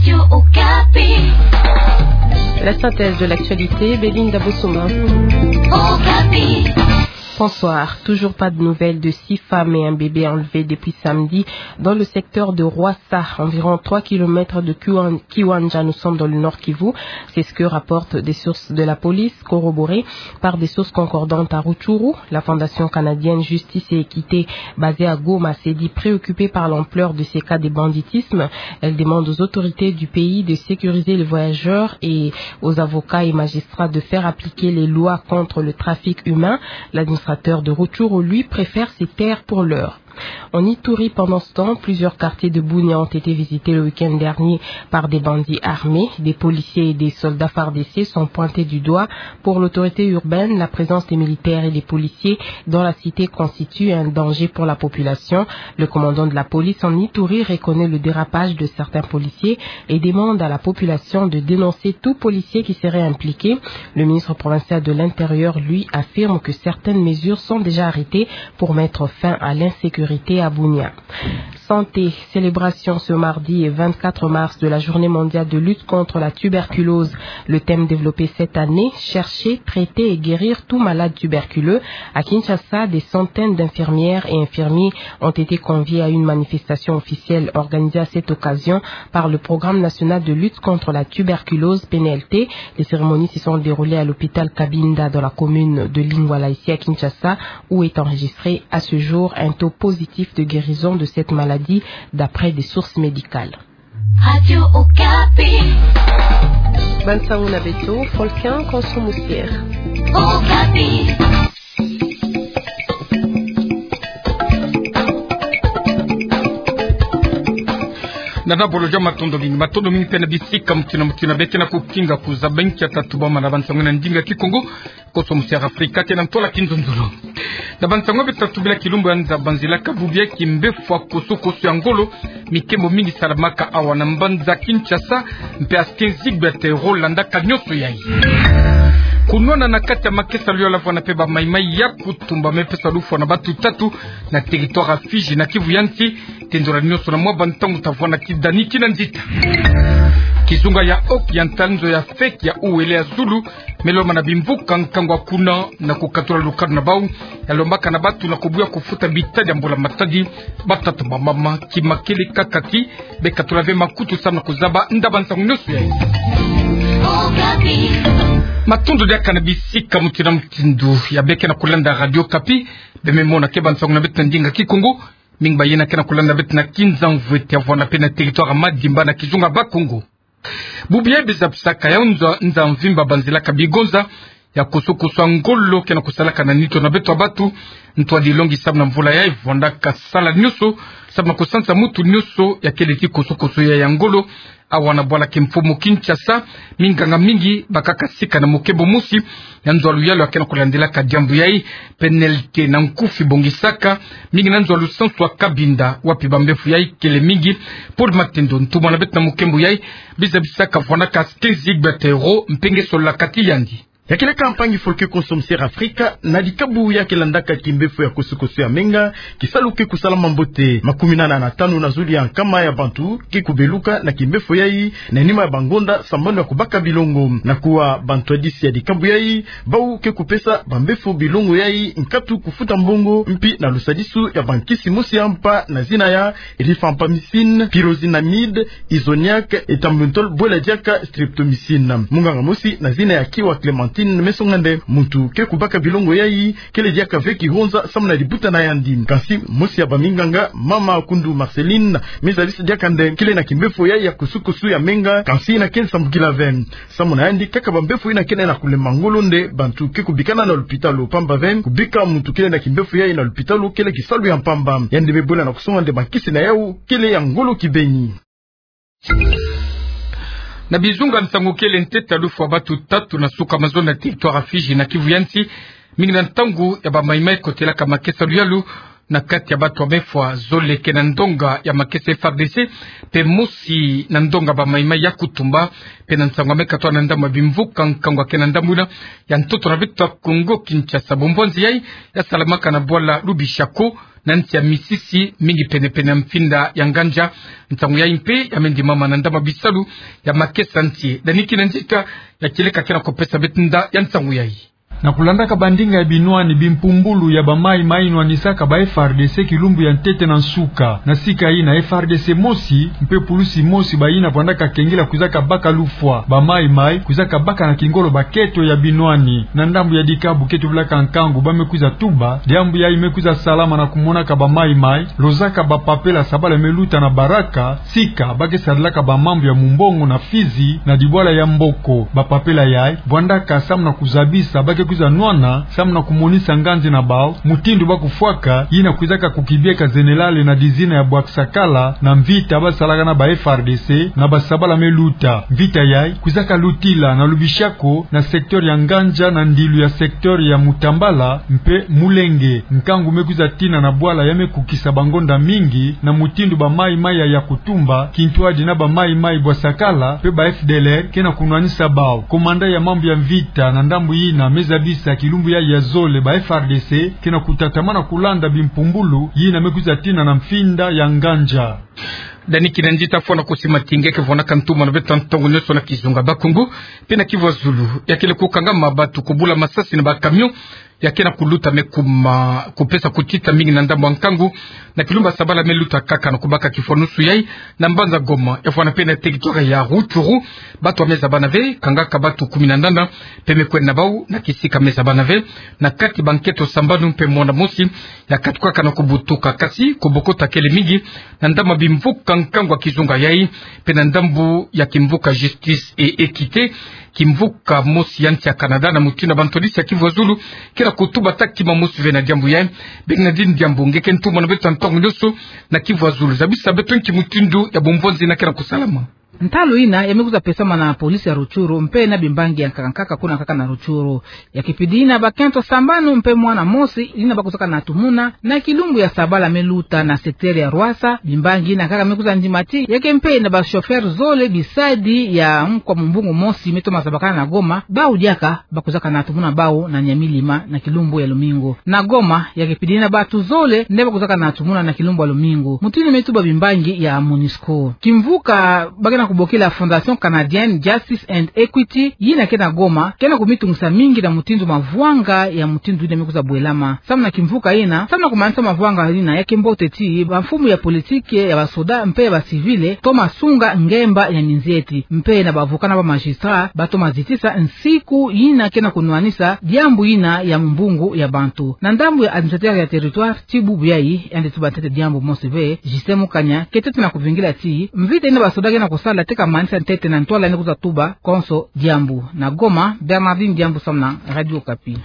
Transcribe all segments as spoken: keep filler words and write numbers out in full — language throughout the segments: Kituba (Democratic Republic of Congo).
Radio Okapi. La synthèse de l'actualité, Belinda Bosoma. Okapi. Bonsoir. Toujours pas de nouvelles de six femmes et un bébé enlevés depuis samedi dans le secteur de Rwasa, environ trois kilomètres de Kiwan-, Kiwanja. Nous sommes dans le Nord-Kivu. C'est ce que rapportent des sources de la police, corroborées par des sources concordantes à Rutshuru. La Fondation canadienne Justice et Équité, basée à Goma, s'est dit préoccupée par l'ampleur de ces cas de banditisme. Elle demande aux autorités du pays de sécuriser les voyageurs et aux avocats et magistrats de faire appliquer les lois contre le trafic humain. L'administrateur de Rutshuru, lui, préfère se taire pour l'heure. En Ituri, pendant ce temps, plusieurs quartiers de Bunia ont été visités le week-end dernier par des bandits armés. Des policiers et des soldats fardc sont pointés du doigt. Pour l'autorité urbaine, la présence des militaires et des policiers dans la cité constitue un danger pour la population. Le commandant de la police en Ituri reconnaît le dérapage de certains policiers et demande à la population de dénoncer tout policier qui serait impliqué. Le ministre provincial de l'Intérieur, lui, affirme que certaines mesures sont déjà arrêtées pour mettre fin à l'insécurité à Bunia. Santé, célébration ce mardi vingt-quatre mars de la journée mondiale de lutte contre la tuberculose. Le thème développé cette année, chercher, traiter et guérir tout malade tuberculeux. À Kinshasa, des centaines d'infirmières et infirmiers ont été conviés à une manifestation officielle organisée à cette occasion par le Programme national de lutte contre la tuberculose, P N L T. Les cérémonies se sont déroulées à l'hôpital Kabinda dans la commune de Lingwala, ici à Kinshasa, où est enregistré à ce jour un taux positif de guérison de cette maladie, d'après des sources médicales. Radio Okapi. Bansango na beto, Folkin Konso Musier. Okapi. Nana Bolojo, matondo mingi, matondo mingi mpe na bisika mutindu na mutindu beke na kukinga kuzaba nkia tatuba mana bansango na ndinga Kikongo. Konso Musier Afrika, tena ntwala kinzonzolo. Na bansango beto tatuba kilumbu ya nza, banzila ka bubu ya kimbefo ya kosokoso ya ngolo, mikembo mingi salamaka awa na mbanza Kinshasa, mpe askenzigbe te ro landaka nionso yayi. Kunwana na kati ya makesa luyalu avwanda mpe ba maimai ya kutumba me pesa lufwa na batu tatu na territoire ya Fidji na Kivu ya nsi, tendula nionso na mwa bantangu ta vwanda kidani kina nzita. Kizunga ya Oki ya ntanzo ya feki ya uwele ya zulu, me lomba na bimvuka nkangu ya kuna na kukatula lukanu na bau, ya lombaka na batu na kubuya kufuta bitadi ya mbula matadi, batata, bamama, kimakele, kakaki, bekatula ve makutu samu na kuzaba ndaba nsangu nionso yayi. Matondo diaka na bisika mutindu na mutindu ya beke na kulanda Radio Okapi, beme mona ke bansango na beto na ndinga Kikongo, mingi bayina ke na kulanda beto na Kinzamvwete ya vwanda mpe na territoire ya Madimba na kizunga Bakongo. Bubu ya biza bisaka ya nza, nza mvimba banzila ka bigonza ya kosokoso ya ngolo ke na kusalaka na nitu na beto ya batu. Ntwadi longi samu na mvula yayi vwandaka sala nionso samu na kusansa mutu nionso ya kele ti kosokoso ya, ya ngolo. Awa na bwala kimfumu Kinshasa, minganga mingi bakaka sika na mukembo mosi ya nzo ya luyalu ya ke na kulandilaka diambu yayi. P N L T na nkufi bongisaka mingi na nzo ya lusansu ya Kabinda, wapi bambefo yayi kele mingi. Paul Matendo, ntumwa na beto na mukembo yayi, biza bisaka vwandaka askenzigbe te ro, mpe nge sololaka ti yandi. Ya kele ka mpangi Folkin Konso Musier Afrika, na dikabu ya ke landaka kimbefo ya kosokoso ya menga, kisalu ke kusalama mbote. Makuminana na tanu na zulu ya nkama ya bantu ke kubeluka na kimbefo yayi na nima ya bangonda sambanu ya kubaka bilongo. Na kuwa, bantu ya disi ya dikabu yayi, bau ke kupesa bambefo bilongo yayi nkatu kufuta mbongo, mpi na lusadisu ya bankisi mosi ya mpa na zina ya rifampicine, pyroxénamide, isoniazid, ethambutol, bwela diaka streptomycine. Munganga mosi na zina ya Kiwa Clémentine me songa nde muntu ke kubaka bilongo yayi kele diaka ve kihonza samu na dibuta na yandi. Kansi mosi ya baminganga, mama Kundu Marceline, me zabisa diaka nde kele na kimbefo yayi ya kosokoso ya menga, kansi yina ke nsambukila ve. Samu na yandi, kaka bambefo yina kele na kulemba ngolo nde bantu ke kubikana na lupitalu, pamba ve kubika muntu kele na kimbefo yayi na lupitalu kele kisalu ya mpamba. Yandi me bwela na kusonga nde bankisi na yau kele ya ngolo kibeni. Na bizunga nsangu kele ntete ya lufwa batu tatu na suka mazono na territoire ya Fidji na Kivu ya nsi, mingi na ntangu ya bamaimai kotelaka makesa luyalu, Na kati ya bato ya mefwa, zole ke na ndonga ya makesa F A R D C, mpe mosi na ndonga ba Maï-Maï ya kutumba. Mpe na nsangu ya mekatwa na ndambu ya bimvuka nkangu ya ke na ndambu yina ya ntoto na beto ya Kongo Kinshasa. Bumvonzi yai ya salamaka na bwala Lubishako, na nsi ya misisi mingi pene-pene ya mfinda ya Ngandja. Nsangu yai mpe ya me ndimama na ndambu ya bisalu ya makesa nsi. Dani Kinanzita ya kieleka ke na kupesa beto nda ya nsangu yai. Na kulandaka bandinga ya binwani, bimpumbulu ya ba Maï-Maï nwanisaka ba F A R D C kilumbu ya ntete na nsuka. Na sika yina, F A R D C mosi mpe pulusi mosi bayina vwandaka kengila kwizaka baka lufwa ba Maï-Maï, kwizaka baka na kingolo baketo ya binwani. Na ndambu ya dikabu ke tubilaka nkangu, ba me kwiza tuba, diambu yai me kwiza salama na kumonaka ba Maï-Maï lozaka bapapela sabala me luta na baraka, sika ba ke sarilaka ba mambu ya mumbongo na fizi na dibwala ya mboko. Bapapela yai vwandaka samu na kuzabisa ba ke kwiza nwana, samu na kumonisa nganzi na bau mutindu ba kufwaka yina kwizaka kukibieka zenelale na dizina ya Bwaksakala na mvita ba salaka na ba F A R D C na basabala me luta. Mvita yai kwizaka lutila na Lubishako, na secteur ya Ngandja, na ndilu ya secteur ya Mutambala mpe Mulenge. Nkangu me kwiza tina na bwala ya me kukisa bangonda mingi, na mutindu ba Maï-Maï ya kutumba kintwadi na ba Maï-Maï Bwaksakala mpe ba F D L R ke na kunwanisa bau. Komanda ya mambu ya mvita na ndambu yina me zabisa kilumbu yai ya zole ba F A R D C ke na kutatamana kulanda bimpumbulu yina me kwiza tina na mfinda ya Ngandja. Dani Kinanzita, fwana kusi matinge ke vwanaka ntumwa na beto ya ntongo nyonso na kizunga Bakongo mpe na Kivu ya Zulu. Ya kele kukangama bato kubula masasi na ba camion ya ke na kuluta me kuma kupesa kutita mingi na ndambu ya nkangu na kilumbu ya sabala me luta, kaka na kubaka kifwanusu yai na mbanza Goma. Ya fwana mpe na territoire ya Rutshuru, bato ya me zabana ve, kangaka bato kumi na nana mpe me kwenda na bau na kisika me zabana ve. Na kati ba nkento sambanu mpe mwana mosi ya katukaka na kubutuka, kasi kubokota kele mingi na ndambu ya bimvuka nkangu ya kizunga yai, mpe na ndambu ya kimvuka Justice et Équité, kimvuka mosi ya nsi ya Canada, na mutindu ya bantwadisi ya Kivu ya Zulu ke na kutuba taki mamosi ve na diambu yai. Bernardine Diambu, nge ke ntumwa na beto ya ntongo nyonso na Kivu ya Zulu, zabisa beto nki mutindu ya bumvonzi yina ke na kusalama. Ntalu yina ya me kwiza pesama na police ya Rutshuru mpe na bimbangi ya nkaka nkaka kuna kaka na Rutshuru. Ya kipidi yina, bakento sambanu mpe mwana mosi yina ba kwizaka na tumuna na kilumbu ya sabala me luta na secteur ya Rwasa. Bimbangi yina nkaka me kwiza ndima ti ya ke mpe na ba chauffeur zole bisadi ya nkwa mumbungu mosi me toma zabakana na Goma, bau diaka ba kwizaka na tumuna bau na Nyamilima na kilumbu ya lumingu. Na Goma, ya kipidi yina, bato zole nde ba kwizaka na tumuna na kilumbu ya lumingu, mutindu me tuba bimbangi ya MONUSCO. Kimvuka ba ke na kubokila Fondation Canadienne Justice and Equity, yina ke na Goma, ke na kumitungisa mingi na mutindu mavwanga ya mutindu yina me kwiza bwelama. Samu na kimvuka yina, samu na kumanisa mavwanga yina, ya ke mbote ti bamfumu ya politique, ya basoda mpe ya bacivil toma sunga ngemba ya minzieti, mpe na ba avocat na ba magistrat ba toma zitisa nsiku yina ke na kunwanisa diambu yina ya mumbungu ya bantu. Na ndambu ya administrateur ya territoire, ti bubu yai yandi tuba ntete diambu mosi ve, Justin Mukanya, ke tete na kuvingila ti mvita yina basoda ke na kusala te ka manisa ntete na ntwala yina kwiza tuba konso diambu. Na Goma, Bernardine Diambu samu na Radio Okapi.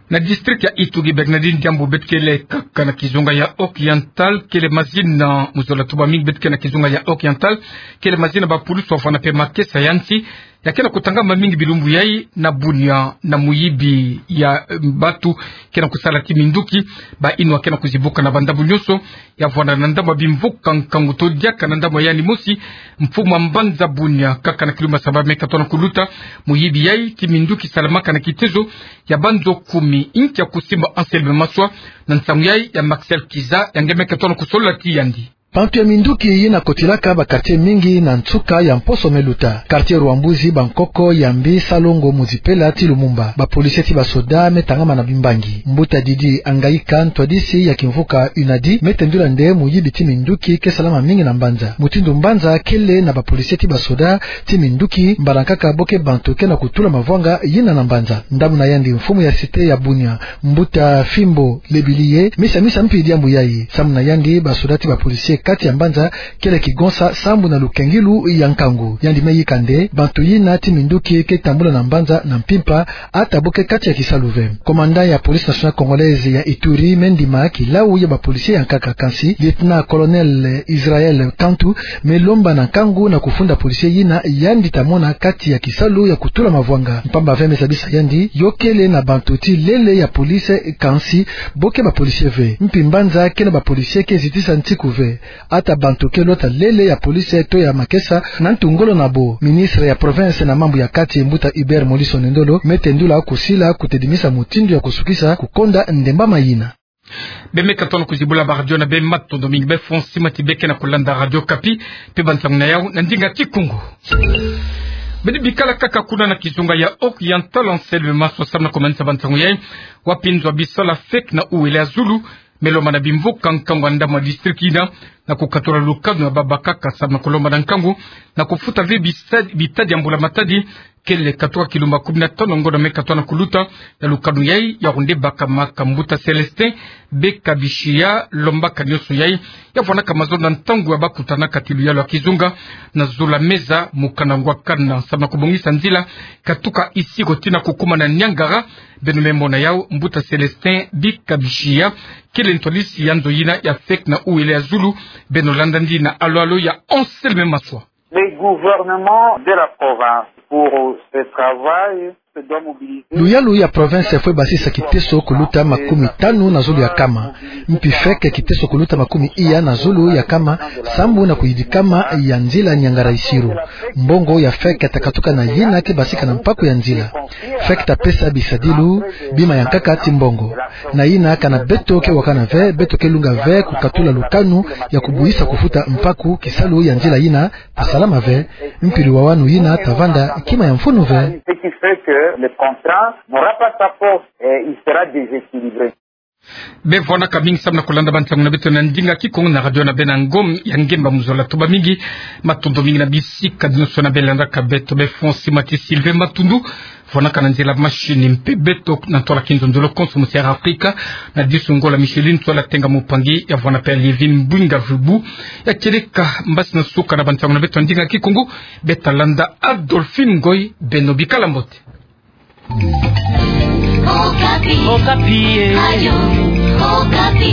Na district ya Ituri, Bernardine Diambu, beto kele kaka na kizunga ya Oriental, kele mazina, mu zola tuba mingi beto kele na kizunga ya Oriental, kele mazina bapulusu wafwana mpe makesa ya nsi ya ke na kutangama mingi bilumbu yai na Bunia, na muyibi ya, eh, bato ke na kusala ti minduki, bayinwa ke na kuzibuka na bandambu nyonso. Ya vwanda na ndambu ya bimvuka nkangu to diaka na ndambu ya yandi mosi, mfumu ya mbanza Bunia, kaka na kilumbu ya sabala me katwa na kuluta. Muyibi yai ti minduki salamaka na kitezo ya banzo kumi. Inki ya kusimba Anselme Maswa na nsangu yai ya Maxel Kiza, ya nge me katwa na kusolola ti yandi. Bantu ya minduki yina kotilaka ba quartier mingi na nsuka ya mposo me luta: quartier Rwambuzi, Bankoko, Yambi, Salongo, Muzipela ti Lumumba. Bapolisier ti basoda me tangama na bimbangi. Mbuta Didi Angaika, ntwadisi ya kimvuka UNADI, me tendula nde muyibi ti minduki ke salama mingi na mbanza. Mutindu mbanza kele na bapolisier ti basoda ti minduki, mbala nkaka bo ke bantu ke na kutula mavwanga yina na mbanza. Ndambu na yandi, mfumu ya cité ya Bunia, Mbuta Fimbo Lebiliye, me samisa mpi diambu yai. Samu na yandi, basoda ti bapolisier kati ya mbanza, kele kigonsa sambu na lukengilu ya nkangu. Yandi me yika nde bantu yina ti minduki ke tambula na mbanza na mpimpa, ata bo ke kati ya kisalu ve. Commandant ya Police Nationale Congolaise ya Ituri me ndima kilau ya ba policiers ya nkaka, kansi Lieutenant-colonel Israël Kantu me lomba na nkangu na kufunda policier yina yandi ta mona kati ya kisalu ya kutula mavwanga. Mpamba ve, me zabisa yandi, yo kele na bantu ti lele ya police, kansi bo ke ba policiers ve. Mpi mbanza ke na ba policiers ke zitisa ntiku ve. Ata bantu ke lota lele ya police to ya makesa na ntu ngolo na bo. Ministre ya province na mambu ya kati, mbuta Hubert Molisson Ndolo, me tendula kusila kutedimisa mutindu ya kusukisa kukonda ndembama yina. Beno me katono kuzibula ba radio na beno, matondo mingi. Beno fong sima ti beno ke na kulanda Radio Okapi, mpe bansangu na yau na ndinga Kikongo. Beno bikala kaka kuna na kizunga ya Oriental, Anselme Maswa samu na kumanisa bansangu yai. Wapi nzo ya bisala FEC na Uele ya Zulu me lomba na bimvuka nkangu ya ndambu ya district yina na kukatula lukanu ya babakaka samu na kulomba na nkangu na kufuta ve bisa-, bitadi ya mbula matadi, kele katuka kilumba kumi na tanu ngonda me katono kuluta. Na lukanu yai, yawu nde bakamaka. Mbuta Célestin Beka Bishiya lombaka nionso yai, ya vwanaka mazono na ntangu ya bakutana kati luyalu ya kizunga na zulu ya meza, mokanda ngwakana samu na kubongisa nzila katuka Isiro tii na kukuma na Niangara. Beno me mona yau. Mbuta Célestin Beka Bishiya kele ntwadisi ya nzo yina ya FEC na Uele ya Zulu. Beno landa ndi na alo-alo ya Anselme Maswa. Le gouvernement de la province, pour ce travail, se doit mobiliser. Luyalu ya province fwe basisa kiteso kuluta makumi tanu na zulu ya kama. Mpi FEC kiteso kuluta makumi iya na zulu ya kama, sambu na kuyidikama ya nzila Niangara-Isiro. Mbongo ya FEC ta katuka na yina ke basika na mpaku ya nzila. FEC ta pesa bisadilu bima ya nkaka ti mbongo. Na yina, kana beto ke wakana ve, beto ke lunga ve kukatula lukanu ya kubuhisa kufuta mpaku, kisalu ya nzila yina ta salama ve. Mpi luwawanu yina ta vanda kima ya mfunu ve. Ce qui fait que le contrat n'aura pas sa force et il sera déséquilibré. Beno vwanaka mingi samu na kulanda bansangu na beto na ndinga Kikongo na radio na beno na Ngom ya Ngemba mu zola. Tuba mingi, matondo mingi na bisika nionso na beno landaka beto. Beno fong sima ti Sylvain Matundu vwanaka na nzila machine, mpe beto na ntwala kinzonzolo konso mu Sierra Africa, na disu ngolo Micheline Ntsola Tenga Mupangi, ya vwana mpe Lievine Mbwinga Vubu, ya kieleka mbasi na suka na bansangu na beto na ndinga Kikongo. Beto ta landa Adolphine Ngoy. Beno bikala mbote. Okapi. Okapi, eh. Radio Okapi.